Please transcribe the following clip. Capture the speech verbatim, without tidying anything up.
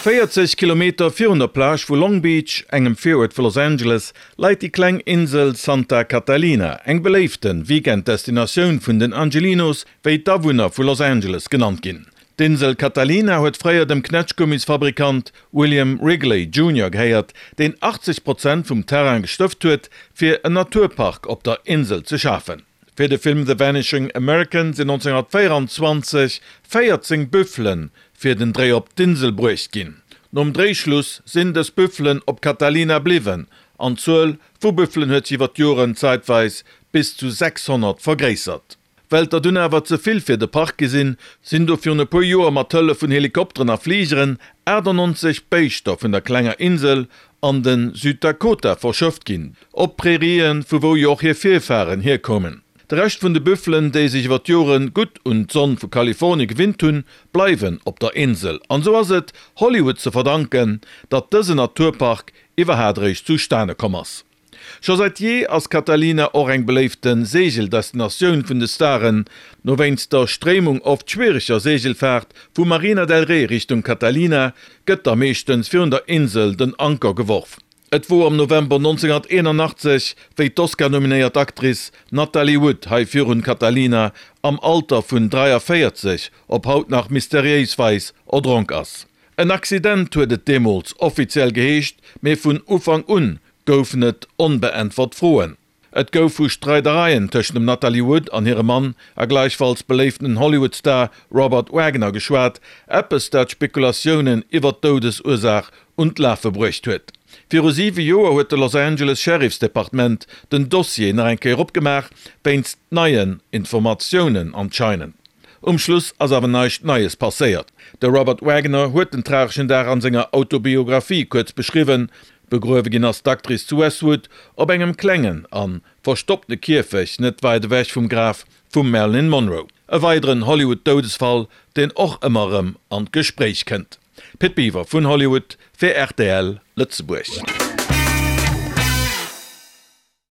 Véierzeg Kilometer virun der Plage vu Long Beach, engem Viruert vu Los Angeles, leit déi kleng Insel Santa Catalina, eng beléifte Weekenddestinatioun vun den Angelinos, wéi d'Awunner vu Los Angeles genannt ginn. D'Insel Catalina huet fréier dem Knätschgummisfabrikant William Wrigley Junior gehéiert, deen achtzeg Prozent vum Terrain gestëft huet, fir en Naturpark op der Insel ze schafen. Fir de Film The Vanishing American sinn nonzénghunnertvéieranzwanzeg véierzéng Büffele fir den Dréi op d'Insel bruecht ginn. Nom Dréischluss sinn dës Büffelen op Catalina bliwwen an d'Zuel vu Büffelen huet sech iwwer d'Joren zäitweis bis zu sechshonnert vergréissert. Well der dunn awer ze vill fir de Park gi sinn, sinn du virun e puer Joer mat Hëllef vun Helikopteren a Fligeren achtannonzeg Béischter vun der klenger Insel an de Süddakota verschëfft ginn, op Prairien, vu wou jo och hir Virfaren hierkoumen. De Rescht vun de Büffelen, déi sech iwwer d'Jore gutt un d'Sonn vu Kalifornie gewinnt hunn, bleiwen op der Insel. An esou ass et Hollywood ze verdanken, datt dësen Naturpark iwwerhaat eréischt zustane komm ass. Scho säit jee ass Catalina och eng beléifte Seegeldestinatioun vun de Staren. No wéinst der Stréimung oft schwiereger Seegelfaart vu Marina del Rey Richtung Catalina gëtt da meeschtens virun der Insel den Anker geworf. Et wor am November nonzénghunnerteenanachtzeg, wéi d'Oscar-nominéiert Actrice Natalie Wood hei virun Catalina am Alter vun dräiavéierzeg op haut nach mysteriéis Weis erdronk ass. En Accident huet et deemools offiziell geheescht, mee vun Ufank un goufen et onbeäntwert Froen. Et gouf vu Streidereien tëschent dem Natalie Wood an hirem Mann a gläichfalls beléiftenen Hollywood-Star Robert Wagner geschwat, eppes dat Spekulatiounen iwwer d'Doudesursaach un d'Lafe bruecht huet. Viru siwe Joer huet de Los Angeles Sheriff's Departement den Dossier nach eng Kéier opgemaach, wéinst neien Informatiounen anscheinend. Um Schluss ass awer näischt Neies passéiert. De Robert Wagner huet den trageschen Dag an senger Autobiographie kuerz beschriwwen. Begruewe ginn ass d'Actrice zu Westwood op engem klengen a verstoppte Kierfecht net wäit ewech vum Graf vum Marilyn Monroe. E weideren Hollywood-Doudesfall, deen och ëmmer erëm an d'Gespréich kënnt. Pit Biwer vun Hollywood fir rtl Lëtzebuerg.